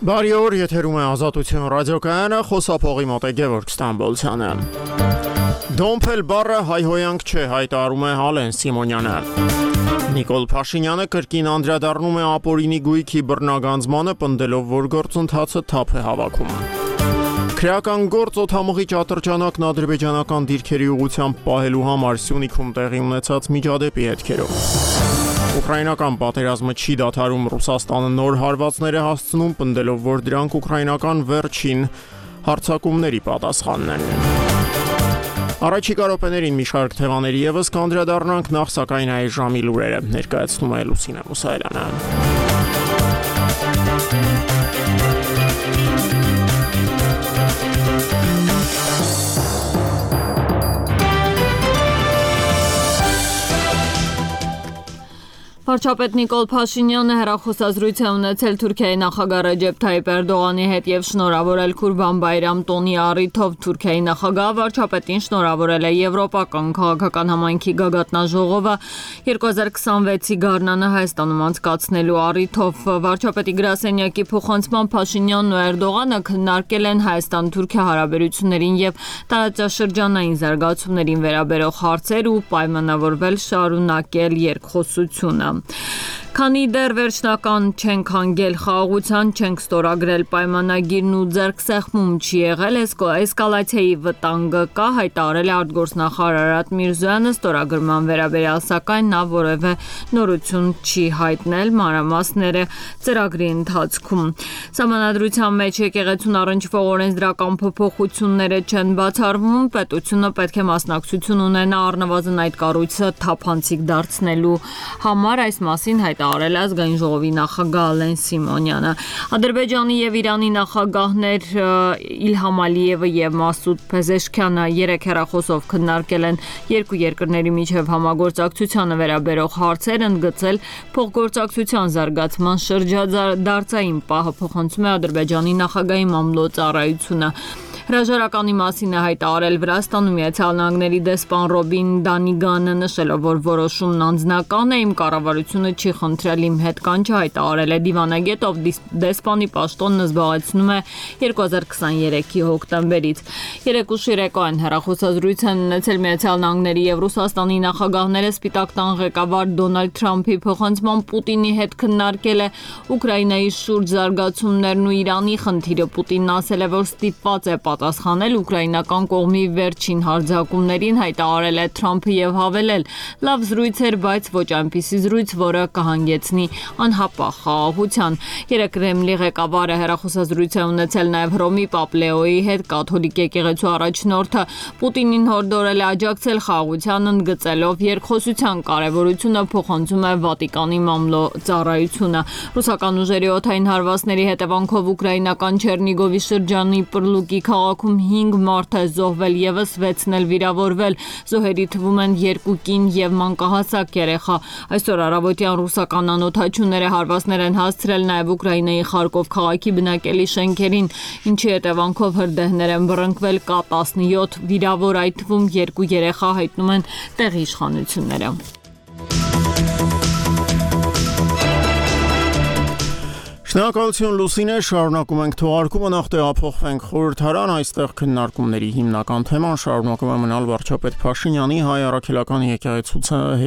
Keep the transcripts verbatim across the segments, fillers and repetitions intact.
Բարի օր, եթերում է Ազատություն ռադիոկայանը, խոսափողի մոտ է Գևորգ Ստամբոլցյանը։ Դոմփել բառը հայհոյանք չէ, հայտարարում է Ալեն Սիմոնյանը։ Նիկոլ Փաշինյանը կրկին անդրադառնում է ապօրինի գույքի բռնագանձմանը, պնդելով, որ գործընթացը թափ է հավաքում։ Քրեական գործ օդամղի ճատրճանակն ադրբեջանական դիրքերի ուղղությամբ պահելու համար Սյունիքում տեղի ունեցած միջադեպի հետքերով։ Ուկրաինական պատերազմը չի դադարում, Ռուսաստանը նոր հարվածներ է հասցնում, պնդելով, որ դրանք ուկրաինական վերջին հարձակումների պատասխանն են։ Առաջիկա րոպեներին մի շարք թեմաների ևս կանդրադառնանք, նախ սակայն այս ժամի լուրերը ներկայացնում է Լուսինե Մուսայելյանը։ Վարչապետ Նիկոլ Փաշինյանը հեռախոսազրույց է ունեցել Թուրքիայի նախագահ Ռեջեփ Թայիփ Էրդողանի հետ եւ շնորհավորել Քուրբան Բայրամ տոնի առիթով Թուրքիայի նախագահ վարչապետին շնորհավորել է Եվրոպական քաղաքական համայնքի գագաթնաժողովը երկու հազար քսանվեցի գարնանը Հայաստանում անցկացնելու առիթով։ Վարչապետի գրասենյակի փոխանցման Փաշինյանն ու Էրդողանը քննարկել են Հայաստան-Թուրքիա հարաբերություններին եւ տարածաշրջանային զարգացումներին վերաբերող հարցեր ու պայմանավորվել շարունակել երկխոսությունը։ Քանի դեռ վերջնական չենք հանգել խաղաղության, չենք ստորագրել պայմանագիրն ու ձեռքսեղմում չի եղել, էսկալացիայի վտանգը կա, հայտարարել է արտգործնախարար Արարատ Միրզոյանը, ստորագրման վերաբերյալ սակայն նա որևէ նորություն չի հայտնել, մանրամասները ծրագրի ընթացքում։ Սահմանադրության մեջ եկեղեցուն առնչվող օրենսդրական փոփոխությունները չեն բացառվում, պետությունը պետք է մասնակցություն ունենա առնվազն այդ կառույցը թափանցիկ դարձնելու համար, այս մասին հայտարարել է ազգային ժողովի նախագահ Ալեն Սիմոնյանը։ Ադրբեջանի եւ Իրանի նախագահներ Իլհամ Ալիևը եւ Մասուդ Փեզեշքյանը երեք հեռախոսով քննարկել են երկու երկրների միջև համագործակցությանը վերաբերող հարցեր, ընդգծել փոխգործակցության զարգացման շրջադարձային պահը, փոխանցում է Ադրբեջանի նախագահի մամլո ծառայությունը։ Հրաժարականի մասին է հայտարարել Վրաստանում Միացյալ Նահանգների դեսպան Ռոբին Դանիգանը, նշելով, որ որոշումն անձնական է, իմ կառավարությունը չի խնդրել իմ հետ կանչը, հայտարարել է դիվանագետ, ով դեսպանի պաշտոնն զբաղեցնում է երկու հազար քսաներեքի հոկտեմբերից։ Երեք ուշ երեկոյան հեռախոսազրույց են ունեցել Միացյալ Նահանգների եւ Ռուսաստանի նախագահները, Սպիտակ տան ղեկավար Դոնալդ Թրամփի փոխանցման Պուտինի հետ քննարկել է Ուկրաինայի շուրջ զարգացումներն ու Իրանի խնդիրը։ Պուտինն ասել է, որ ստիպված է պատասխանել ուկրաինական կողմի վերջին հարձակումներին, հայտարարել է Թրամփը եւ հավելել. լավ զրույց էր, բայց ոչ այնպիսի զրույց, որը կհանգեցնի անհապաղ խաղաղության։ Երեք Կրեմլի ղեկավարը հեռախոսազրույց է ունեցել նաեւ Հռոմի Պապ Լեոյի հետ, կաթոլիկ եկեղեցու առաջնորդը Պուտինին հորդորել է աջակցել խաղաղությանն, ընդգծելով երկխոսության կարեւորությունը, փոխանցում է Վատիկանի մամլո ծառայությունը։ Ռուսական ուժերի օդային հարվածների հետևանքով ուկրաինական Չերնիգովի շրջանի Պրլուկի քաղաքում հինգ մարդ է զոհվել, եւս վեցն էլ վիրավորվել, զոհերի թվում են երկու կին եւ մանկահասակ երեխա։ Այսօր առավոտյան ռուսական անօդաչուները հարվածներ են հասցրել նաեւ Ուկրաինայի Խարկով քաղաքի բնակելի շենքերին, ինչի հետևանքով հրդեհներ են բռնկվել, կա տասնյոթ վիրավոր, այդ թվում երկու երեխա, հայտնում են տեղի իշխանությունները։ Շնորհակալություն Լուսինե, շարունակում ենք թողարկումը, նախ տեղափոխվենք խորհրդարան, այստեղ քննարկումների հիմնական թեման շարունակում է մնալ վարչապետ Փաշինյանի հայ առաքելական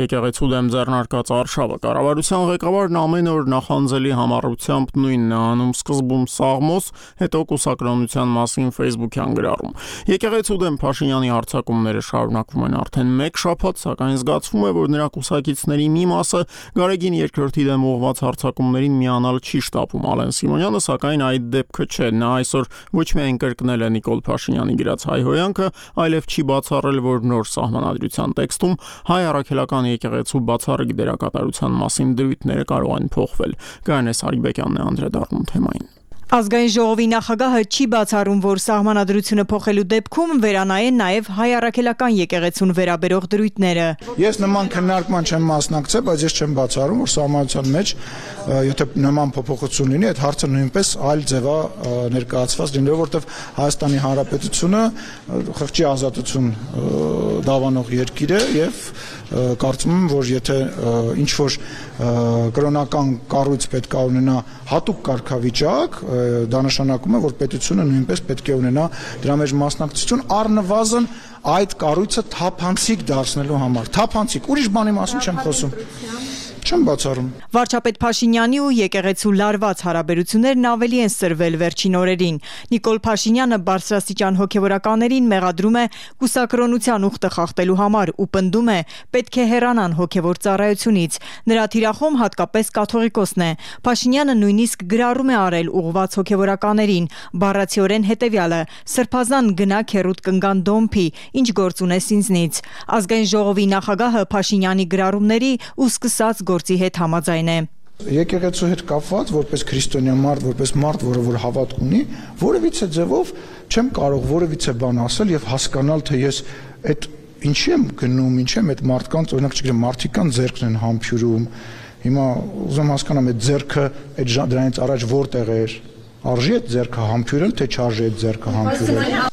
եկեղեցու դեմ ձեռնարկած արշավը։ Կառավարության ղեկավարն ամեն օր նախանձելի համառությամբ նույնն է անում, սկզբում սաղմոս, հետո կուսակրոնության մասին Facebook-յան գրառում։ Եկեղեցու դեմ Փաշինյանի հարձակումները շարունակվում են արդեն մեկ շաբաթ, սակայն զգացվում է, որ նրա կուսակիցների մի մասը Գարեգին երկրորդի դեմ ուղղված հարձակումներին միանալ չի շտապում։ Ալեն Սիմոնյանը, սակայն այդ դեպքը չէ, նա այսօր ոչ միայն կրկնել է Նիկոլ Փաշինյանի գրած հայհոյանքը, այլև չի բացառել, որ նոր սահմանադրության տեքստում հայ առաքելական եկեղեցու բացառիկ դերակատարության մասին դրույթները կարող են փոխվել։ Գայանե Սարիբեկյանն է անդրադառնում թեմային։ Ազգային ժողովի նախագահը չի բացառում, որ սահմանադրությունը փոխելու դեպքում վերանայեն նաև հայ առաքելական եկեղեցուն վերաբերող դրույթները։ Ես նման քննարկման չեմ մասնակցել, բայց ես չեմ բացառում, որ սահմանադրության մեջ եթե նման փոփոխություն լինի, այդ հարցը նույնպես այլ ձևա ներկայացված լինի, որովհետև Հայաստանի Հանրապետությունը խղճի ազատություն դավանող երկիր է եւ կարծում եմ, որ եթե ինչ որ կրոնական կառույց պետք է ունենա հատուկ կարգավիճակ դա նշանակում է, որ պետությունը նույնպես պետք է ունենա դրա մեջ մասնակցություն, առնվազն այդ կառույցը թափանցիկ դարձնելու համար։ Թափանցիկ, ուրիշ բանի մասին չեմ խոսում։ Չեմ բացառում։ Վարչապետ Փաշինյանի ու եկեղեցու լարված հարաբերություններն ավելի են սրվել վերջին օրերին։ Նիկոլ Փաշինյանը բարձրաստիճան հոգևորականներին մեղադրում է կուսակրոնության ուխտը խախտելու համար ու պնդում է պետք է հեռանան հոգևոր ծառայությունից։ Նրա թիրախում հատկապես կաթողիկոսն է։ Փաշինյանը նույնիսկ գրառում է արել ուղղված հոգևորականներին, բառացիորեն հետևյալը՝ սրբազան գնա քերուտ կնգան դոմփի, ինչ գործ ունես ինձնից։ Ազգային ժողովի նախագահը Փաշինյանի գրառումների ու սկսած գործի հետ համաձայն է։ Եկեղեցու հետ կապված, որպես քրիստոնյա մարդ, որպես մարդ, որը որ հավատք ունի, որևիցե ձևով չեմ կարող որևիցե բան ասել եւ հասկանալ, թե ես այդ ինչի եմ գնում, ինչ եմ այդ մարդկանց, օրինակ չգիտեմ, մարդիկան ձեռքն են համբյուրում։ Հիմա ուզում հասկանամ այդ ձեռքը այդ դրանից առաջ որտեղ էր։ Արժի այդ ձեռքը համբյուրել, թե չարժի այդ ձեռքը համբյուրել։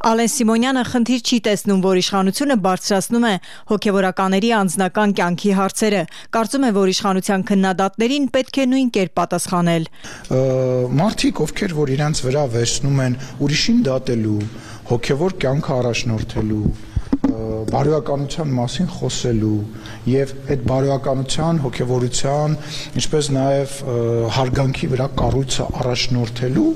Ալեն Սիմոնյանը խնդիր չի տեսնում, որ իշխանությունը բարձրացնում է հոգևորականների անձնական կյանքի հարցերը։ Կարծում է, որ իշխանության քննադատներին պետք է նույն կերպ պատասխանել։ Մարդիկ, ովքեր որ իրենց վրա վերցնում են ուրիշին դատելու, հոգևոր կյանքը առաջնորդելու, բարոյականության մասին խոսելու եւ այդ բարոյականության, հոգևորության, ինչպես նաեւ հարգանքի վրա կառույցը առաջնորդելու,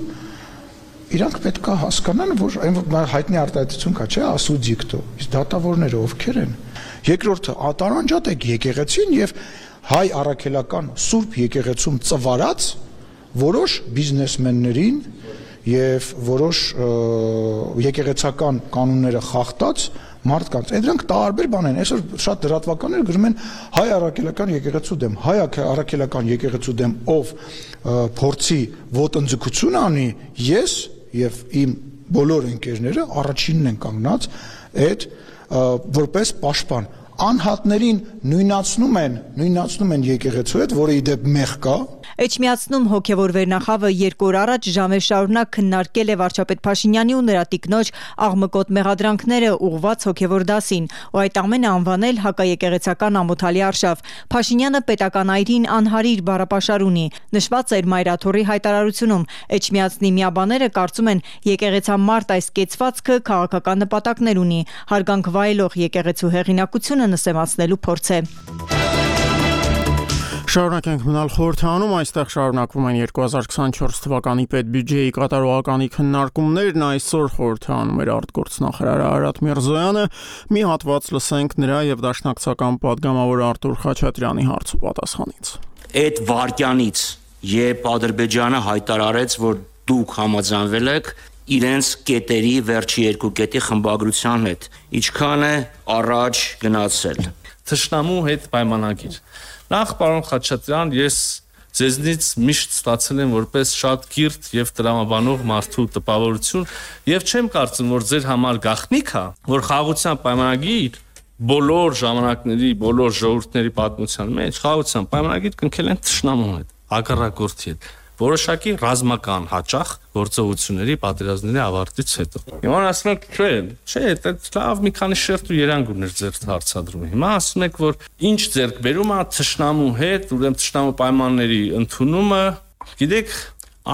իրանք պետք է հասկանան, որ այն հայտնի արտահայտություն կա, չէ, ասուդիկտո, իսկ դատավորները ովքեր են։ Երկրորդը տարանջատեք եկեղեցին եւ հայ առաքելական սուրբ եկեղեցում ծվարած որոշ բիզնեսմեններին եւ որոշ եկեղեցական կանոնները խախտած մարդկանց։ Դրանք տարբեր բան են։ Այսօր շատ լրատվականներ գրում են հայ առաքելական եկեղեցու դեմ, հայ առաքելական եկեղեցու դեմ ով փորձի ոտնձգություն անի, ես եւ իմ բոլոր ընկերները առաջինն են կանգնած այդ որպես պաշտպան անհատներին նույնացնում են նույնացնում են եկեղեցու հետ, որը իդեպ մեղ կա։ Էջմիածնում հոգևոր վերնախավը երկու օր առաջ ժամեր շարունակ քննարկել է վարչապետ Փաշինյանի ու նրա տիկնոջ աղմկոտ մեղադրանքները ուղղված հոգևոր դասին ու այդ ամենը անվանել հակաեկեղեցական ամոթալի արշավ։ Փաշինյանը պետական այրին անհարիր բառապաշար ունի։ Նշված էր Մայրաթորի հայտարարությունում։ Էջմիածնի միաբաները կարծում են եկեղեցամարտ այս կեցվածքը քաղաքական նպատակներ ունի։ Հարգանք վայելող եկեղեցու հեղինակությունը նսեմացնելու փորձ է։ Շարունակենք մնալ խորհրդանում, այստեղ շարունակվում են երկու հազար քսանչորս թվականի պետբյուջեի կատարողականի քննարկումներն, այսօր խորհրդանում էր արտգործնախարար Արարատ Միրզոյանը, մի հատված լսենք նրա եւ դաշնակցական պատգամավոր Արտուր Խաչատրյանի հարց ու պատասխանից։ Այդ վարկյանից, երբ Ադրբեջանը հայտարարեց, որ դուք համաձայնվել եք իրենց կետերի վերջի երկու կետի խմբագրության հետ, ինչքան է առաջ գնացել։ Թշնամու հետ պայմանագիր։ Նախ պարոն Խաչատրյան, ես ձեզնից միշտ ստացել եմ որպես շատ կիրթ եւ տրամաբանող մարդու տպավորություն եւ չեմ կարծում, որ ձեր համար գաղտնիք է, որ խաղաղության պայմանագիր բոլոր ժամանակների, բոլոր ժողովուրդների պատմության մեջ խաղաղության պայմանագիր կնքել են թշնամու հետ, հակառակորդի հետ, որոշակի ռազմական հաճախ գործողությունների պատերազմների ավարտից հետո։ Հիմա ասում եք, չէ, չէ, դա լավ մի քանի շերտ ու երանգ ուներ ձեր հարցադրումը։ Հիմա ասում եք, որ ինչ ձեռք բերում է թշնամու հետ, ուրեմն թշնամու պայմանների ընդունումը, գիտեք,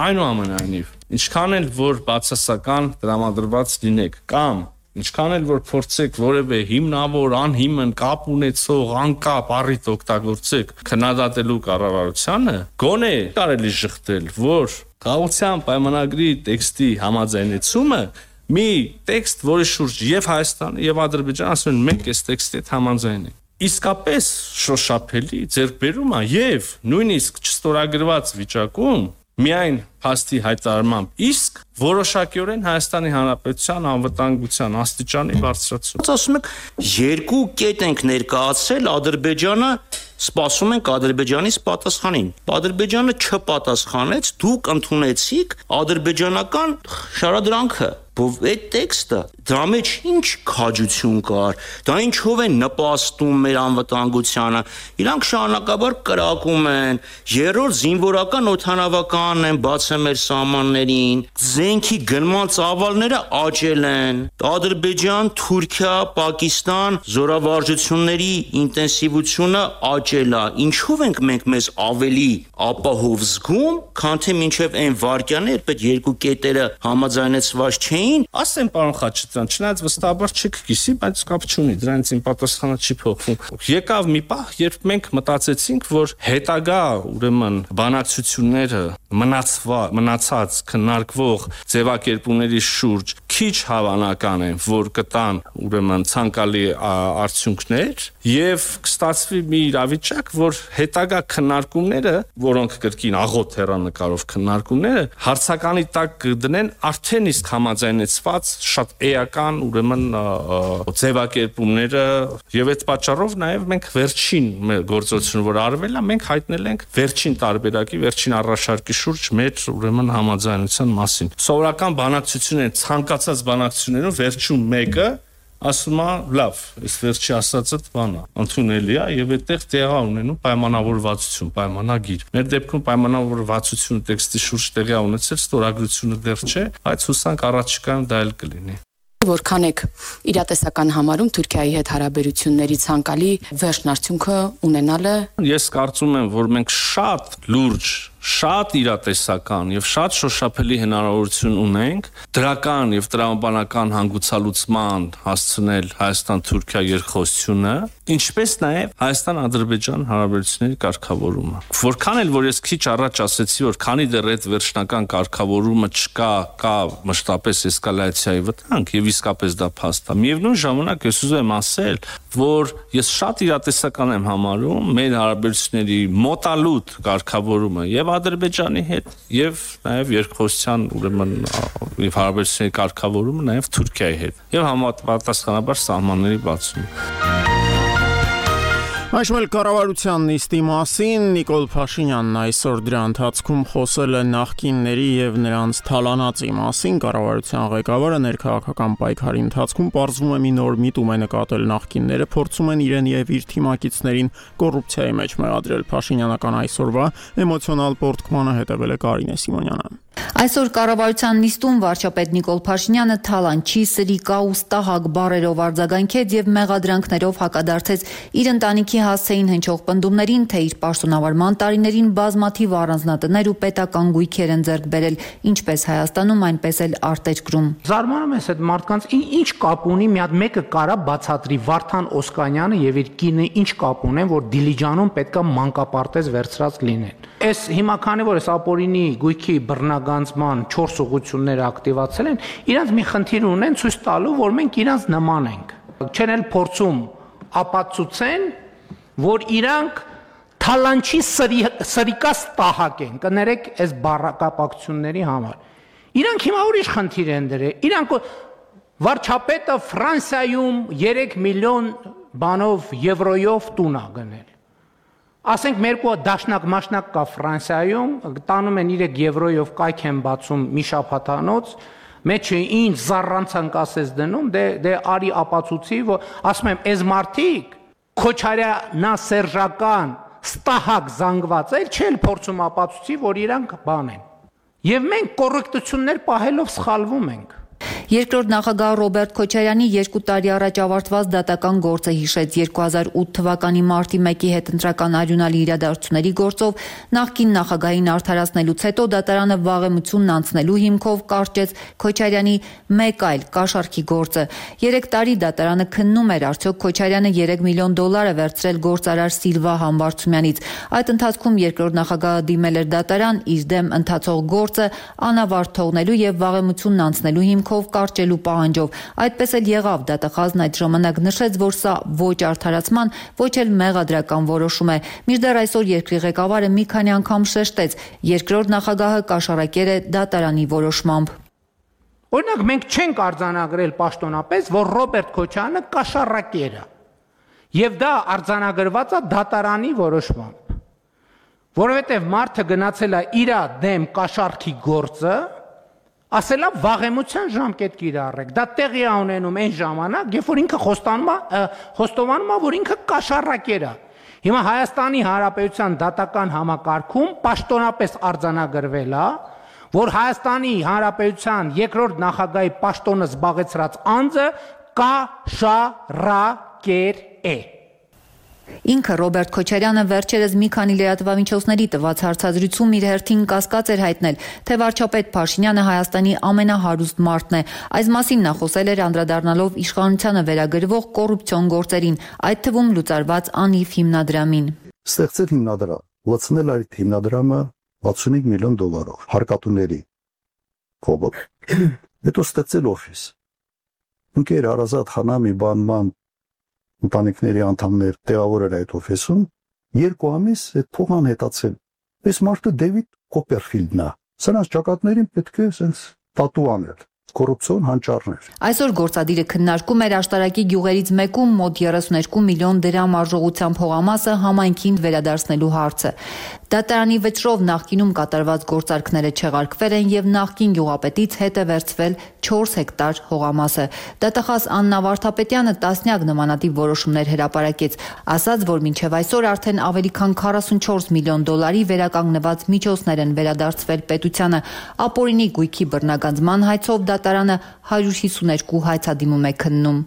այնուամենայնիվ, ինչքան էլ որ բացասական տրամադրված լինեք, կամ ինչքան էլ որ փորձեք որևէ հիմնավոր, անհիմն կապ ունեցող անկապ առիթ օգտագործեք քննադատելու կառավարությանը, գոնե կարելի շղթել, որ խաղաղության պայմանագրի տեքստի համաձայնեցումը մի տեքստ, որի շուրջ եւ Հայաստանը եւ Ադրբեջանը ասում են մենք այս տեքստի հետ համաձայն ենք։ Իսկապես շոշափելի ձեռքբերում է եւ նույնիսկ չստորագրված վիճակում միայն փաստի հայտարարմամբ իսկ որոշակիորեն Հայաստանի Հանրապետության անվտանգության աստիճանի բարձրացում։ Ասում եք, երկու կետ ենք ներկայացրել, Ադրբեջանը սպասում ենք Ադրբեջանից պատասխանին։ Ադրբեջանը չպատասխանեց, դուք ընդունեցիք ադրբեջանական շարադրանքը։ Բայց այդ տեքստը դրա մեջ ինչ քաջություն կար, դա ինչով է նպաստում մեր անվտանգությանը։ Իրանք շարունակաբար կրակում են, երրորդ զինվորական օդանավականն են բացել մեր սահմաններին, զենքի գնման ծավալները աճել են։ Ադրբեջան, Թուրքիա, Պակիստան զորավարժությունների ինտենսիվությունը աճել է։ Ինչով ենք մենք մեզ ավելի ապահով զգում, քան թե մինչև այն վարկյանը, երբ այդ երկու կետերը համաձայնեցված չէին։ Ասեմ, պարոն Խաչատրյան, չնայած վստահաբար չեք կիսի, բայց կապ չունի, դրանից իմ պատասխանը չի փոխվում։ Եկավ մի պահ, երբ մենք մտածեցինք, որ հետագա, ուրեմն, բանակցությունները մնացվա, մնացած քննարկվող ձևակերպումների շուրջ քիչ հավանական են, որ կտան, ուրեմն, ցանկալի արդյունքներ, եւ կստացվի մի իրավիճակ, որ հետագա քննարկումները, որոնք կրկին աղոտ հեռանկարով քննարկումները, հարցականի տակ կդնեն արդեն իսկ համաձայնեցված շատ էական, ուրեմն, ձևակերպումները, եւ այդ պատճառով նաեւ մենք վերջին մեր գործողությունը, որ արվել է, մենք հայտնել ենք վերջին տարբերակի, վերջին առաջարկի շուրջ մեր, ուրեմն, համաձայնության մասին։ Սովորական բանակցությունները, ցանկացած բանակցություններում վերջում մեկը ասում է, լավ, այս վերջի ասածը բան է, ընդունելի է եւ այդտեղ տեղա ունենում պայմանավորվածություն, պայմանագիր։ Մեր դեպքում պայմանավորվածությունը տեքստի շուրջ տեղի ունեցել, ստորագրությունը դեռ չէ, բայց հուսանք առաջիկայում դա էլ կլինի։ Որքան եք իրատեսական համարում Թուրքիայի հետ հարաբերությունների ցանկալի վերջն արդյունքը ունենալը։ Ես կարծում եմ, որ մենք շատ լուրջ, շատ իրատեսական եւ շատ շոշափելի հնարավորություն ունենք դրական եւ տրամաբանական հանգուցալուծման հասցնել Հայաստան-Թուրքիա երկխոսությունը, ինչպես նաեւ Հայաստան-Ադրբեջան հարաբերությունների կարգավորումը։ Որքան էլ որ ես քիչ առաջ ասեցի, որ քանի դեռ այդ վերջնական կարգավորումը չկա, կա մշտապես էսկալացիայի վտանգ եւ իսկապես դա փաստ է։ Միևնույն ժամանակ ես ուզում եմ ասել, որ ես շատ իրատեսական եմ համարում մեր հարաբերությունների մոտալուտ կարգավորումը եւ Ադրբեջանի հետ եւ նաեւ երկխոսության, ուրեմն, եւ հարաբերությունների կարգավորումը նաեւ Թուրքիայի հետ եւ համապատասխանաբար սահմանների բացումը։ Այժմ էլ կառավարության նիստի մասին Նիկոլ Փաշինյանն այսօր դրա ընթացքում խոսել է նախկինների եւ նրանց թալանածի մասին։ Կառավարության ղեկավարը ներքաղաքական պայքարի ընթացքում պարզվում է մի նոր միտում է նկատել նախկինները, փորձում են իրեն եւ իր թիմակիցներին կոռուպցիայի մեջ մեղադրել։ Փաշինյանական այսօրվա էմոցիոնալ պորտկմանը հետևել է Կարինե Սիմոնյանը։ Այսօր կառավարության նիստում վարչապետ Նիկոլ Փաշինյանը թալանչի, սրիկա ու ստահակ բառերով արձագանքեց եւ մեղադրանքներով հակադարձեց իր ընտանիքի հասցեին հնչող պնդումներին, թե իր պաշտոնավարման տարիներին բազմաթիվ առանձնատներ ու պետական գույքեր են ձեռք բերել, ինչպես Հայաստանում, այնպես էլ արտերկրում։ Զարմանում ես այդ մարդկանց ինչ կապ ունի, մի հատ մեկը կարա բացատրի Վարդան Օսկանյանը եւ իր կինը ինչ կապ ունեն, որ Դիլիջանում պետքա մանկապարտեզ վերցրած լինեն։ Այս հիմա քանի որ այս ապօրինի գույքի բռնագանձման չորս ուղղությունները ակտիվացել են, իրանց մի խնդիր ունեն ցույց տալու, որ մենք իրանց նման ենք։ Չեն էլ փորձում ապացուցեն, որ իրանք թալանչի սրիկա ստահակ են, կներեք այս բառակապակցությունների համար։ Իրանք հիմա ուրիշ խնդիր են դրել։ Իրանք վարչապետը Ֆրանսիայում երեք միլիոն բանով եվրոյով տուն է գնել։ Ասենք մերկու դաշնակ մաշնակ կա Ֆրանսիայում, տանում են երեք եվրոյով կայք են բացում մի շաբաթանոց, մեջը ինչ զառանցանք ասես դնում, դե դե արի ապացուցի, որ ասում եմ, այս մարդիկ քոչարյանասերժական ստահակ զանգված էլ չեն փորձում ապացուցի, որ իրանք բան են։ Եվ մենք կոռեկտություններ պահելով սխալվում ենք։ Երկրորդ նախագահ Ռոբերտ Քոչարյանի երկու տարի առաջ ավարտված դատական գործը հիշեց երկու հազար ութ թվականի մարտի մեկի հետ ընտրական արյունալի իրադարձությունների գործով նախկին նախագահին արդարացնելուց հետո դատարանը վաղեմությունն անցնելու հիմքով կարճեց Քոչարյանի մեկ այլ կաշառքի գործը։ Երեք տարի դատարանը քննում էր արդյոք Քոչարյանը երեք միլիոն դոլար է վերցրել գործարար Սիլվա Համբարձումյանից։ Այդ ընթացքում երկրորդ նախագահը դիմել էր դատարան իր դեմ ընթացող գործը անավարտ թողնելու եւ վաղեմությունն անցնելու հիմքով կարճելու պահանջով։ Այդպես էլ եղավ, դատախազն այդ ժամանակ նշեց, որ սա ոչ արդարացման, ոչ էլ մեղադրական որոշում է։ Մինչդեռ այսօր երկրի ղեկավարը մի քանի անգամ շեշտեց, երկրորդ նախագահը կաշառակեր է դատարանի որոշմամբ։ Օրինակ մենք չենք արձանագրել պաշտոնապես, որ Ռոբերտ Քոչարյանը կաշառակեր է։ Եվ դա արձանագրված է դատարանի որոշմամբ։ Որովհետև մարդը գնացել է իր դեմ կաշառքի գործը, ասելա վաղեմության ժամկետ կիրառեք։ Դա տեղի է ունենում այն ժամանակ, երբ որ ինքը խոստանում է, խոստովանում է, որ ինքը կաշառակեր է։ Հիմա Հայաստանի Հանրապետության դատական համակարգում պաշտոնապես արձանագրվել է, որ Հայաստանի Հանրապետության երկրորդ նախագահի պաշտոնը զբաղեցրած անձը կաշառակեր է։ Ինքը Ռոբերտ Քոչարյանը վերջերս մի քանի լրատվամիջոցների տված հարցազրույցում իր հերթին կասկած էր հայտնել, թե վարչապետ Փաշինյանը Հայաստանի ամենահարուստ մարդն է։ Այս մասին նա խոսել էր անդրադառնալով իշխանությանը վերագրվող կոռուպցիոն գործերին, այդ թվում լուծարված անիվ հիմնադրամին։ Ստեղծել հիմնադրամ, լցնել այդ հիմնադրամը վաթսունհինգ միլիոն դոլարով հարկատուների կողմից։ Հետո ստեղծել օֆիս։ Ընկեր Արազատ Խանամի բանման ընտանիքների անդամներ տեղավորել այդ օֆիսում, երկու ամիս այդ փողն անհետացել։ Այս մարդը Դեվիդ Կոպերֆիլդն է։ Սրանց ճակատներին պետք է sense տատու անել։ Կոռուպցիոն հանճարներ։ Այսօր գործադիրը քննարկում էր աշտարակի գյուղերից մեկում մոտ երեսունհինգ միլիոն դրամ արժողությամբ փողամասը համայնքին վերադարձնելու հարցը։ Դատարանի վճռով նախկինում կատարված գործարքները չեղարկվել են եւ նախկին գյուղապետից հետ է վերցվել չորս հեկտար հողամասը։ Դատախազ Աննա Վարդապետյանը տասնյակ նմանատիպ որոշումներ հրապարակեց, ասաց, որ մինչև այսօր արդեն ավելի քան քառասունչորս միլիոն դոլարի վերականգնված միջոցներ են վերադարձվել պետությանը։ Ապօրինի գույքի բռնագանձման հայցով դատարանը հարյուր հիսուներկու հայցադիմում է քննում։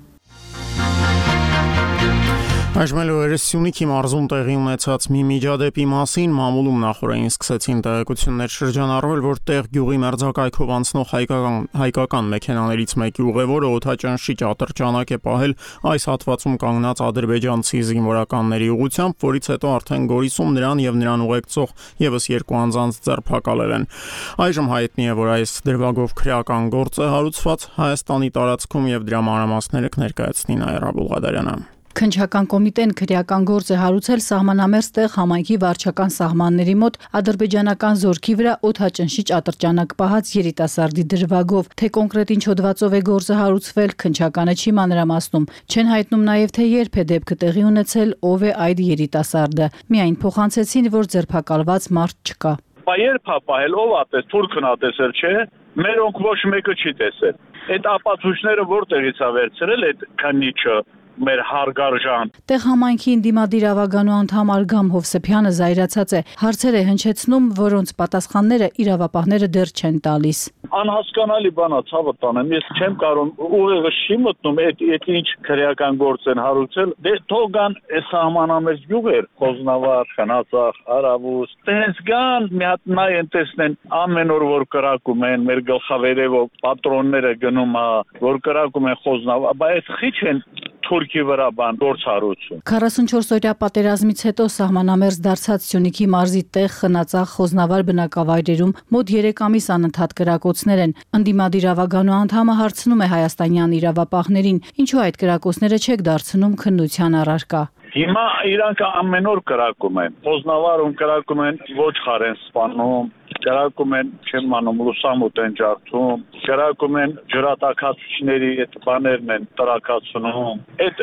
Այժմ Սյունիքի մարզում տեղի ունեցած մի միջադեպի մասին մամուլում նախորդին սկսեցին տեղեկություններ շրջանառվել, որ տեղ գյուղի մերձակայքով անցնող հայկական, հայկական մեքենաներից մեկի ուղևորը օդաճանշիչ ատրճանակ է պահել այս հատվածում կանգնած ադրբեջանցի զինվորականների ուղղությամբ, որից հետո արդեն Գորիսում նրան եւ նրան ուղեկցող եւս երկու անձանց ձերբակալել են։ Այժմ հայտնի է, որ այս դրվագով քրեական գործ է հարուցված Հայաստանի տարածքում եւ դրա մանրամասները կներկայացնի Նաիրա Բուլղադարյանը։ Քննչական կոմիտեն քրեական գործ է հարուցել սահմանամերձ տեղ համայնքի վարչական սահմանների մոտ ադրբեջանական զորքի վրա օդաճնշիչ ատրճանակ պահած երիտասարդի դրվագով, թե կոնկրետ ինչ հոդվածով է գործը հարուցվել, քննչականը չի մանրամասնում։ Չեն հայտնում նաև, թե երբ է դեպքը տեղի ունեցել, ով է այդ երիտասարդը։ Միայն փոխանցեցին, որ ձերբակալված մարդ չկա։ Երբ է պահել, ով է տես, թուրքն է տեսել, չէ՞։ Մերոնք ոչ մեկը չի տեսել։ Այդ ապացույցները որտեղից է վերցրել այդ քննիչը։ Մեր հարգարժան տեղ համայնքի ինդիմադիր ավագանու անդամ Արգամ Հովսեփյանը զայրացած է, հարցեր է հնչեցնում, որոնց պատասխանները իրավապահները դեռ չեն տալիս։ Անհասկանալի բան է, ցավը տանեմ, ես չեմ կարող ուղեղը չի մտնում, այդ այդ ինչ քրեական գործ են հարուցել, դե թողան այս սահմանամերձ գյուղեր, Խոզնավար, Խնածախ, Արավուս, տենց գան մի հատ նայեն տեսնեն ամեն օր որ կրակում են, մեր գլխավերևով պատրոնները գնում է, որ կրակում են Խոզնավար, բայց խիչ են Թուրքի վրա բան գործ հարուցում։ քառասունչորսօրյա պատերազմից հետո սահմանամերձ դարձած Սյունիքի մարզի տեղ Խնածախ Խոզնավար բնակավայրերում մոտ երեք ամիս անընդհատ կրակոցներ են։ Ընդդիմադիր ավագանու անդամը հարցնում է հայաստանյան իրավապահներին, ինչու այդ կրակոցները չեք դարձնում քննության առարկա։ Հիմա իրանք ամեն օր կրակում են։ Խոզնավարում կրակում են ոչխար են սպանում, կրակում են, չեմ անում, լուսամուտ են ջարդում, կրակում են ջրատաքացիչների այդ բաներն են տրակացնում։ Այդ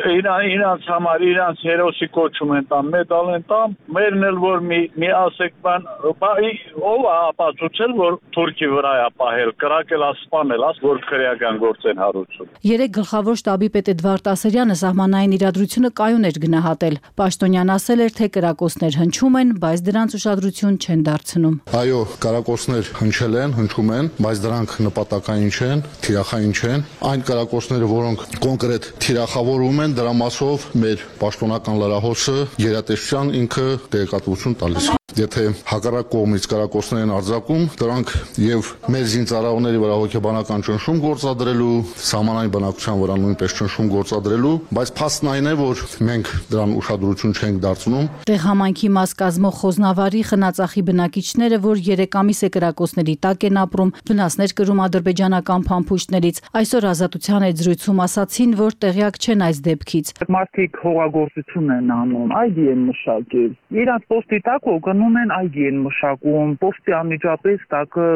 իրանց համար իրանց հերոսի կոչում են տամ, մեդալ են տամ, մերն էլ որ մի մի ասեք բան, ով է ապացուցել, որ Թուրքի վրա է պահել, կրակել է, սպանել, աս որ քրեական գործ են հարուցում։ Երեք գլխավոր շտաբի պետ Էդվարդ Ասերյանը սահմանային իրադրությունը կայուն էր գնահատել։ Պաշտոնյան ասել էր, թե կրակոցներ հնչում են, բայց դրանց ուշադրություն չեն դարձնում։ Այո, կրակոցներ հնչել են, հնչում են, բայց դրանք նպատակային չեն, թիրախային չեն։ Այն կրակոցները, որոնք կոնկրետ թիրախավորում են, դրա մասով մեր պաշտոնական լրահոսը գերատեսչության ինքը տեղեկատվություն տալիս։ Եթե հակառակ կողմից կրակոցներ են արձակում, դրանք եւ մեր զինծառայողների վրա հոգեբանական ճնշում գործադրելու, սահմանային բնակության վրա նույնպես ճնշում գործադրելու, բայց փաստն այն է, որ մենք դրան ուշադրություն չենք դարձնում։ Տեղ համայնքի մաս կազմող Խոզնավարի Խնածախի բնակիչները, որ երեք ամիս է կրակոցների տակ են ապրում, վնասներ կրում ադրբեջանական փամփուշտներից, այսօր Ազատության այդ զրույցում ասացին, որ տեղյակ չեն այս դեպքից։ Մարդիկ հողագործություն են անում, այգի են մշակել։ Իրանց պոստի տակ գնում են այգի են մշակում, պոստի անմիջապես տակը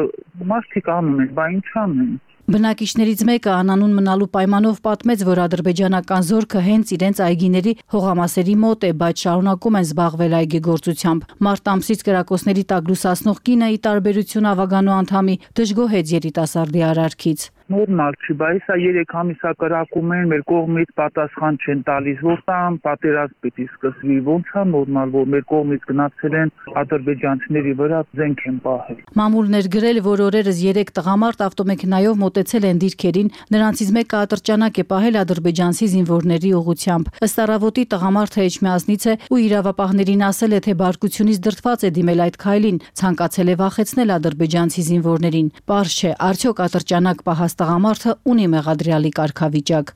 մարդիկ անում են, բա ինչ անեն։ Բնակիչներից մեկը անանուն մնալու պայմանով պատմեց, որ ադրբեջանական զորքը հենց իրենց այգիների հողամասերի մոտ է, բայց շարունակում են զբաղվել այգեգործությամբ։ Մարտ ամսից կրակոցների տակ լուսացնող կինը, ի տարբերություն ավագանու անդամի, դժգոհեց երիտասարդի արարքից։ Նորմալ չի, բայց սա երեք ամիսա կրակում են, մեր կողմից պատասխան չեն տալիս, որ տան պատերազմ պիտի սկսվի, ոնց է նորմալ, որ մեր կողմից գնացել են ադրբեջանցիների վրա զենք են պահել։ Մամուլներ գրել, որ օրերս երեք տղամարդ ավտոմեքենայով մոտեցել են դիրքերին, նրանցից մեկը ատրճանակ է պահել ադրբեջանցի զինվորների ուղղությամբ։ Ըստ առավոտի տղամարդը Էջմիածնից է ու իրավապահներին ասել է, թե բարկությունից դրդված է դիմել այդ քայլին, ցանկացել է վախեցնել ադրբեջանցի զինվորներին։ Պարզ չէ, արդյոք ատրճանակ պահած տղամարդը ունի մեղադրյալի կարգավիճակ։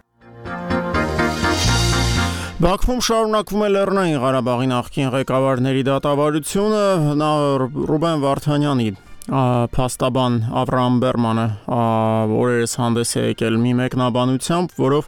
Բաքվում շարունակվում է Լեռնային Ղարաբաղի նախկին ղեկավարների դատավարությունը, նա Ռուբեն Վարդանյանի փաստաբան Ավրահամ Բերմանը օրերս հանդես է եկել մի մեկնաբանությամբ, որով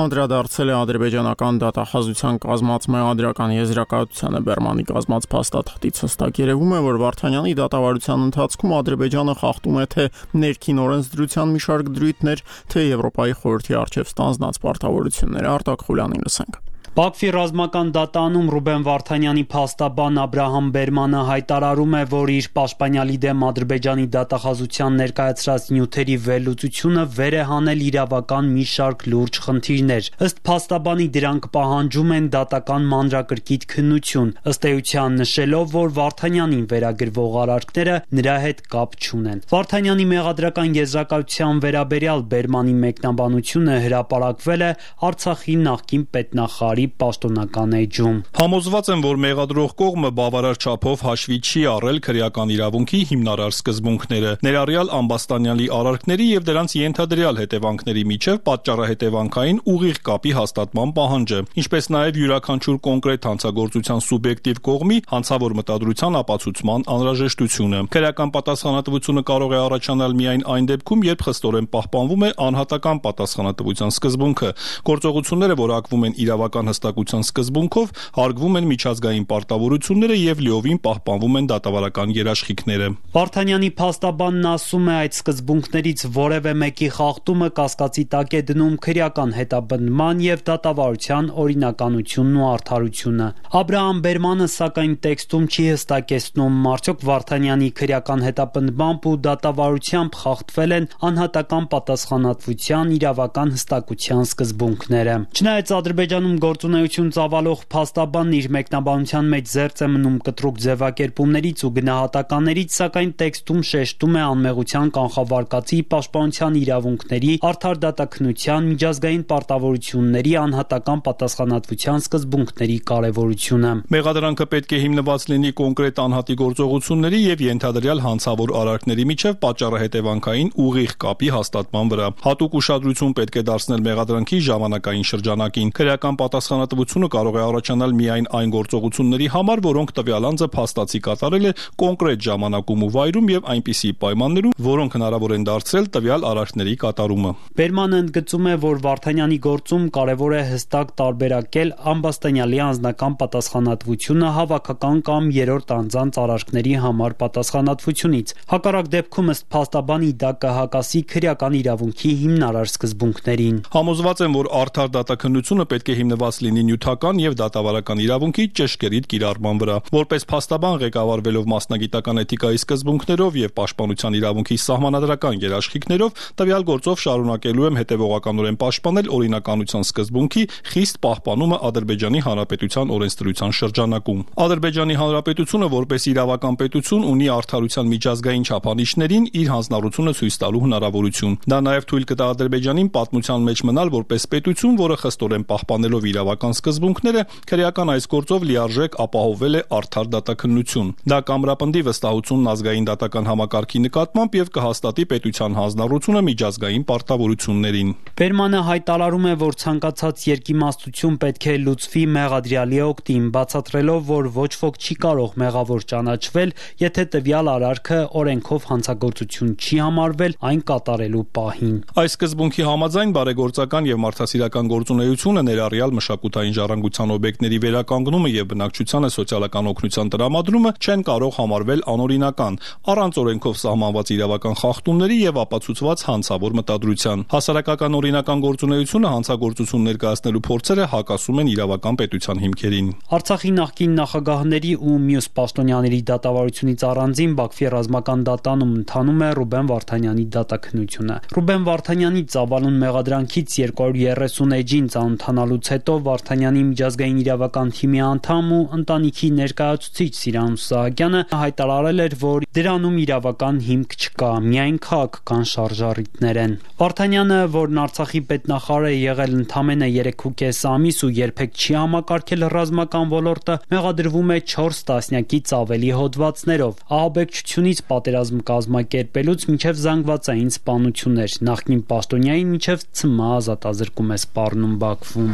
անդրադարձել է ադրբեջանական դատախազության կազմած մեղադրական եզրակացությանը։ Բերմանի կազմած փաստաթղթից հստակ երևում է, որ Վարդանյանի դատավարության ընթացքում Ադրբեջանը խախտում է թե ներքին օրենսդրության մի շարք դրույթներ, թե Եվրոպայի խորհրդի առջև ստանձնած պարտավորությունները։ Արտակ Խուլյանին լսենք։ Բաքվի ռազմական դատանում Ռուբեն Վարդանյանի փաստաբան Աբրահամ Բերմանը հայտարարում է, որ իր պաշտպանյալի դեմ Ադրբեջանի դատախազության ներկայացրած նյութերի վերլուծությունը վեր է հանել իրավական մի շարք լուրջ խնդիրներ։ Ըստ փաստաբանի դրանք պահանջում են դատական մանրակրկիտ քննություն, ըստ էության նշելով, որ Վարդանյանին վերագրվող արարքները նրա հետ կապ չունեն։ Վարդանյանի մեղադրական եզրակացության վերաբերյալ Բերմանի մեկնաբանությունը հրապարակվել է Արցախի նախկին պետնախարարի պաշտոնական էջում։ Համոզված եմ, որ մեղադրող կողմը բավարար չափով հաշվի չի առել քրեական իրավունքի հիմնարար սկզբունքները, ներառյալ Ամբաստանյանի արարքների եւ դրանց ենթադրյալ հետևանքների միջև պատճառահետևանքային ուղիղ կապի հաստատման պահանջը, ինչպես նաեւ յուրաքանչյուր կոնկրետ հանցագործության սուբյեկտիվ կողմի հանցավոր մտադրության ապացուցման անհրաժեշտությունը։ Քրեական պատասխանատվությունը կարող է առաջանալ միայն այն դեպքում, երբ խստորեն պահպանվում է անհատական պատասխանատվության սկզբունքը, գործողությունները որակվում են իրավական հստակության սկզբունքով, հարգվում են միջազգային պարտավորությունները եւ լիովին պահպանվում են դատավարական երաշխիքները։ Վարդանյանի փաստաբանն ասում է, այդ սկզբունքներից որևէ մեկի խախտումը կասկածի տակ է դնում քրեական հետապնդման եւ դատավարության օրինականությունն ու արդարությունը։ Աբրահամ Բերմանը սակայն տեքստում չի հստակեցնում, արդյոք Վարդանյանի քրեական հետապնդմամբ ու դատավարությամբ խախտվել են անհատական պատասխանատվության իրավական հստակության սկզբունքները։ Չնայած Ադրբեջանում գործունեություն ծավալող փաստաբանն իր մեկնաբանության մեջ զերծ է մնում կտրուկ ձևակերպումներից ու գնահատականներից, սակայն տեքստում շեշտում է անմեղության կանխավարկածի, պաշտպանության իրավունքների, արդար դատաքննության, միջազգային պարտավորությունների, անհատական պատասխանատվության սկզբունքների կարևորությունը։ Մեղադրանքը պետք է հիմնված լինի կոնկրետ անհատի գործողությունների եւ ենթադրյալ հանցավոր արարքների միջև պատճառահետևանքային ուղիղ կապի հաստատման վրա։ Հատուկ ուշադրություն պետք է դարձնել մեղադրանքի ժամանակային շրջանակին։ Քրեական պատասխանատվությունը կարող է առաջանալ միայն այն գործողությունների համար, որոնք տվյալ անձը փաստացի կատարել է կոնկրետ ժամանակում ու վայրում եւ այնպիսի պայմաններում, որոնք հնարավոր են դարձրել տվյալ արարքների կատարումը։ Բերմանը ընդգծում է, որ Վարդանյանի գործում կարևոր է հստակ տարբերակել Ամբաստանյանի անձնական պատասխանատվությունը հավաքական կամ երրորդ անձանց արարքների համար պատասխանատվությունից։ Հակառակ դեպքում ըստ փաստաբանի դա կհակասի քրեական իրավունքի հիմնարար սկզբունքներին։ Համոզված եմ, որ արդար դատաքննությունը պետք է հիմնված լինի նյութական եւ դատավարական իրավունքի ճշգրիտ կիրառման վրա։ Որպես փաստաբան ղեկավարվելով մասնագիտական էթիկայի սկզբունքներով եւ պաշտպանության իրավունքի սահմանադրական երաշխիքներով, տվյալ գործով շարունակելու եմ հետեւողականորեն պաշտպանել օրինականության սկզբունքի խիստ պահպանումը Ադրբեջանի Հանրապետության օրենսդրության շրջանակում։ Ադրբեջանի Հանրապետությունը որպես իրավական պետություն ունի արդարության միջազգային չափանիշներին իր հանձնառությունը ցույց տալու հնարավորություն։ Դա նաեւ թույլ կտա Ադրբեջանին պատմության մեջ մնալ որպես պետություն, որը խստորեն պահպանելով իրավական սկզբունքները, քրեական այս գործով լիարժեք ապահովել է արդար դատաքննություն։ Դա կամրապնդի վստահությունն ազգային դատական համակարգի նկատմամբ եւ կհաստատի պետության հանձնառությունը միջազգային պարտավորություններին։ Բերմանը հայտարարում է, որ ցանկացած երկիմաստություն պետք է լուծվի մեղադրյալի օգտին, բացատրելով, որ ոչ ոք չի կարող մեղավոր ճանաչվել, եթե տվյալ արարքը օրենքով հանցագործություն չի համարվել այն կատարելու պահին։ Այս սկզբունքի համաձայն բարեգործական եւ մարդասիրական գործունեությունը ներառյալ մշակութային մշակութային ժառանգության օբյեկտների վերականգնումը եւ բնակչությանը սոցիալական օգնության տրամադրումը չեն կարող համարվել անօրինական, առանց օրենքով սահմանված իրավական խախտումների եւ ապացուցված հանցավոր մտադրության։ Հասարակական օրինական գործունեությունը հանցագործություն ներկայացնելու փորձերը հակասում են իրավական պետության հիմքերին։ Արցախի նախկին նախագահների ու մյուս պաշտոնյաների դատավարությունից առանձին Բաքվի ռազմական դատանում ընթանում է Ռուբեն Վարդանյանի դատաքննությունը։ Ռուբեն Վարդանյանի ծավալուն մեղադրանքից երկու հարյուր երեսուն էջին ծանոթանալուց հետո Վարդանյանի միջազգային իրավական թիմի անդամ ու ընտանիքի ներկայացուցիչ Սիրանուս Սահակյանը հայտարարել էր, որ դրանում իրավական հիմք չկա, միայն քաղաքական շարժառիթներ են։ Վարդանյանը, որն Արցախի պետնախարար է եղել ընդամենը երեք ու կես ամիս ու երբեք չի համակարգել ռազմական ոլորտը, մեղադրվում է չորս տասնյակից ավելի հոդվածներով, ահաբեկչությունից պատերազմ կազմակերպելուց մինչև զանգվածային սպանություններ, նախկին պաշտոնյային մինչև ցմահ ազատազրկում է սպառնում Բաքվում։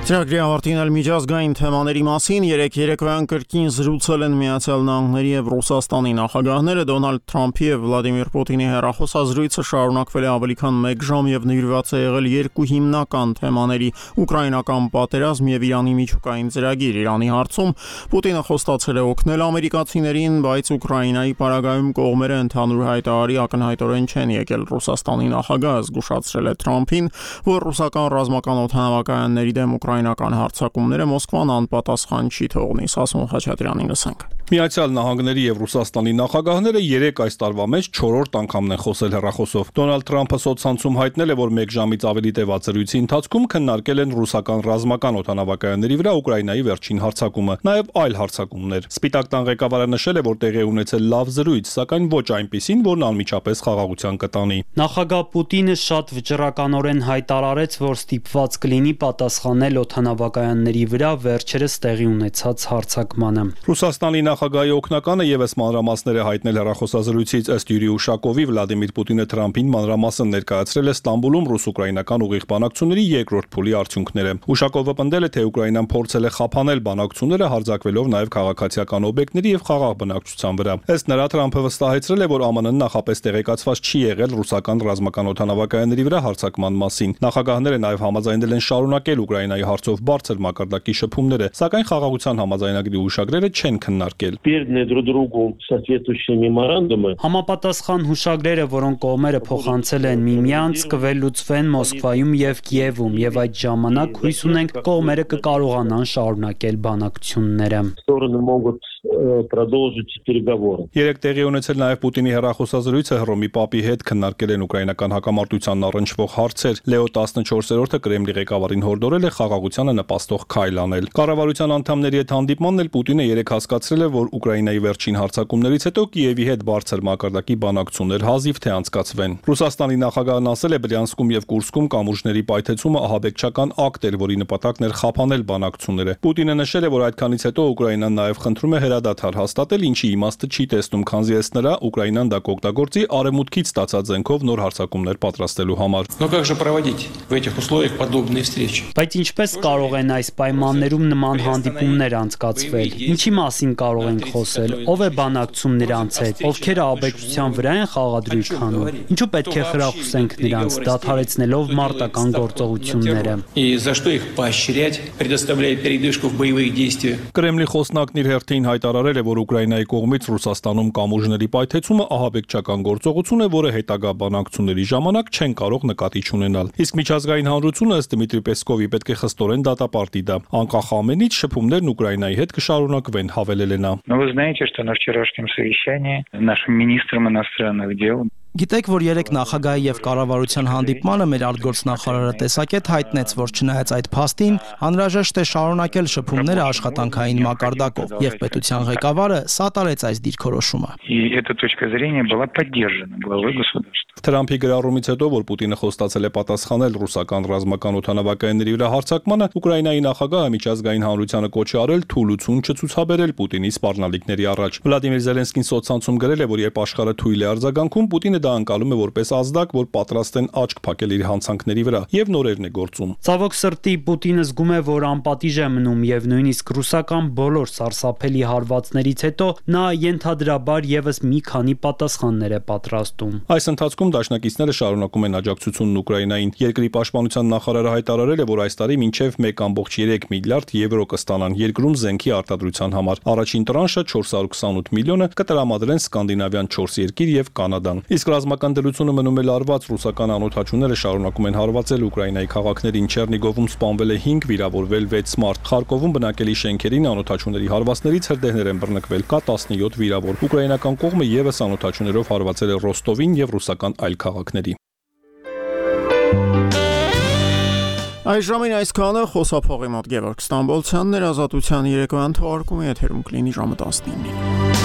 Ծրագրի ավարտին էլ միջազգային թեմաների մասին երեք երեկոյան կրկին զրուցել են Միացյալ Նահանգների եւ Ռուսաստանի նախագահները։ Դոնալդ Թրամփի եւ Վլադիմիր Պուտինի հեռախոսազրույցը շարունակվել է ավելի քան մեկ ժամ եւ նվիրված է եղել երկու հիմնական թեմաների՝ ուկրաինական պատերազմ եւ Իրանի միջուկային ծրագիր։ Իրանի հարցում Պուտինը խոստացել է օգնել ամերիկացիներին, բայց Ուկրաինայի պարագայում կողմերը ընդհանուր հայտարարի ակնհայտորեն չեն եկել։ Ռուսաստանի նախագահը զգուշացրել է Թրամփին, որ ռուսական ռազմական օդանավակայանների դեմ ուկրաինական հարձակումները Մոսկվան անպատասխան չի թողնի։ Սասուն Խաչատրյանին լսենք։ Միացյալ Նահանգների եւ Ռուսաստանի նախագահները երեք այս տարվա մեջ չորրորդ անգամն են խոսել հեռախոսով։ Դոնալդ Թրամփը սոցցանցում հայտնել է, որ մեկ ժամից ավելի տևած զրույցի ընթացքում քննարկել են ռուսական ռազմական օդանավակայանների վրա Ուկրաինայի վերջին հարձակումը, նաեւ այլ հարձակումներ։ Սպիտակ տան ղեկավարը նշել է, որ տեղի ունեցել լավ զրույց, սակայն ոչ այնպիսին, որն անմիջապես խաղաղության կտանի։ Նախագահ Պուտինը շատ վճռականորեն հայտարարեց, որ ստիպված կլինի պատասխանել օդանավակայանների վրա վերջերս տեղի ունեցած հարձակմանը։ Ռուսաստանի նախագահի օգնականը եւս մանրամասներ է հայտնել հեռախոսազրույցից։ Ըստ Յուրի Ուշակովի, Վլադիմիր Պուտինը Թրամփին մանրամասն ներկայացրել է Ստամբուլում ռուս-ուկրաինական ուղիղ բանակցությունների երկրորդ փուլի արդյունքները։ Ուշակովը պնդել է, թե Ուկրաինան փորձել է խափանել բանակցությունները, հարձակվելով նաեւ քաղաքացիական օբյեկտների եւ խաղաղ բնակչության վրա։ Ըստ նրա, Թրամփը վստահեցրել է, որ ԱՄՆ-ն նախապես տեղեկացված չի եղել ռուսական ռազմական օդանավակայանների վրա հարձակման մասին։ Նախագահները նաեւ համաձայնել են շարունակել Ուկրաինայի հարցով բարձր մակարդակի շփումները, սակայն խաղաղության համաձայնագրի ուշագրերը չեն քննարկել։ Համապատասխան հուշագրերը, որոնք կողմերը փոխանցել են միմյանց, կվերլուծվեն Մոսկվայում եւ Կիևում, եւ այդ ժամանակ հույս ունենք կողմերը կկարողանան շարունակել բանակցությունները։ Երեք տեղի ունեցել նաև Պուտինի հեռախոսազրույցը Հռոմի Պապի հետ քննարկել են ուկրաինական հակամարտությանն առնչվող հարցեր։ Լեո տասնչորսերորդը Կրեմլի ղեկավարին հորդորել է խաղաղությանը նպաստող քայլ անել։ Կառավարության անդամների հետ հանդիպմանն էլ Պուտինը երեք հասկացրել է, որ Ուկրաինայի վերջին հարձակումներից հետո Կիևի հետ բարձր մակարդակի բանակցություններ հազիվ թե անցկացվեն։ Ռուսաստանի նախագահն ասել է, Բրյանսկում եւ Կուրսկում կամուրջների պայթեցումը ահաբեկչական ակտ էր, որի նպատակն էր խափանել բանակցությունները։ Պուտինը նշել է, որ այդքանից հետո Ուկրաինան նաև խնդրում է հրադադար հաստատել, ինչի իմաստը չի տեսնում, քանզի ըստ նրա Ուկրաինան դա կօգտագործի արևմուտքից ստացած զենքով նոր հարձակումներ պատրաստելու համար։ Բայց ինչպես կարող են այս պայմաններում նման հանդիպումներ անցկացվել։ Ինչի մասին կարող ենք խոսել, ով է բանակցում նրանց հետ, ովքեր ահաբեկչության վրա են խաղադրույք անում։ Ինչու պետք է խրախուսենք նրանց, դադարեցնելով մարտական գործողությունները։ Կրեմլի խոսնակն իր հերթին հայտարարել է, որ Ուկրաինայի կողմից Ռուսաստանում կամուրջների պայթեցումը ահաբեկչական գործողություն է, որը հետագա բանակցությունների ժամանակ չեն կարող նկատի չունենալ։ Իսկ միջազգային հանրությունը ըստ Դմիտրի Պեսկովի պետք է խստորեն դատապարտի դա։ Անկախ ամենից շփումներն Ուկրաինայի հետ կշարունակվեն, հավելել է նա։ Գիտեք, որ երեք նախագահի եւ կառավարության հանդիպմանը մեր արտգործնախարարը տեսակետ հայտնեց, որ չնայած այդ փաստին, անհրաժեշտ է շարունակել շփումները աշխատանքային մակարդակով, եւ պետության ղեկավարը սատարեց այս դիրքորոշումը։ Թրամփի գրառումից հետո, որ Պուտինը խոստացել է պատասխանել ռուսական ռազմական օդանավակայանների վրա հարձակմանը, Ուկրաինայի նախագահը միջազգային հանրությանը կոչ է արել թուլություն չցուցաբերել Պուտինի սպառնալիքների առաջ։ Վլադիմիր Զելենսկին սոցցանցում գրել է, որ երբ աշխարհը թույլ է արձագանքում, Պուտինը դա անցալում է որպես ազդակ, որ պատրաստ են աչք փակել իր հանցանքների վրա եւ նորերն է գործում։ Ցավոք սրտի Պուտինը զգում է, որ անպատիժ է մնում եւ նույնիսկ ռուսական բոլոր սարսափելի հարվածներից հետո նա ենթադրաբար եւս մի քանի պատասխաններ է պատրաստում։ Այս ընթացքում դաշնակիցները շարունակում են աջակցությունն Ուկրաինային։ Երկրի պաշտպանության նախարարը հայտարարել է, որ այս տարի մինչև մեկ կόμ երեք միլիարդ եվրո կստանան երկրում զենքի արտադրության համար։ Առաջին տրանշը չորս հարյուր քսանութ միլիոնը կտրամադրեն սկանդինավյան չորս երկիր եւ Կանադան։ Իսկ ռազմական դրությունը մնում է լարված, ռուսական անօդաչուները շարունակում են հարվածել Ուկրաինայի քաղաքներին։ Չեռնիգովում սպանվել է հինգ, վիրավորվել վեց մարդ։ Խարկովում բնակելի շենքերին անօդաչուների հարվածներից հրդեհներ են բռնկվել, կա տասնյոթ վիրավոր։ Ուկրաինական կողմը եւս անօդաչուներով հարվածել է Ռոստովին եւ ռուսական այլ քաղաքների։ Այժմին այսքանը խոսափողի մոտ Գևորգ Ստամբոլցյանն էր, Ազատության երեկոյան թողարկումը եթերում կլինի ժամը տասնինին։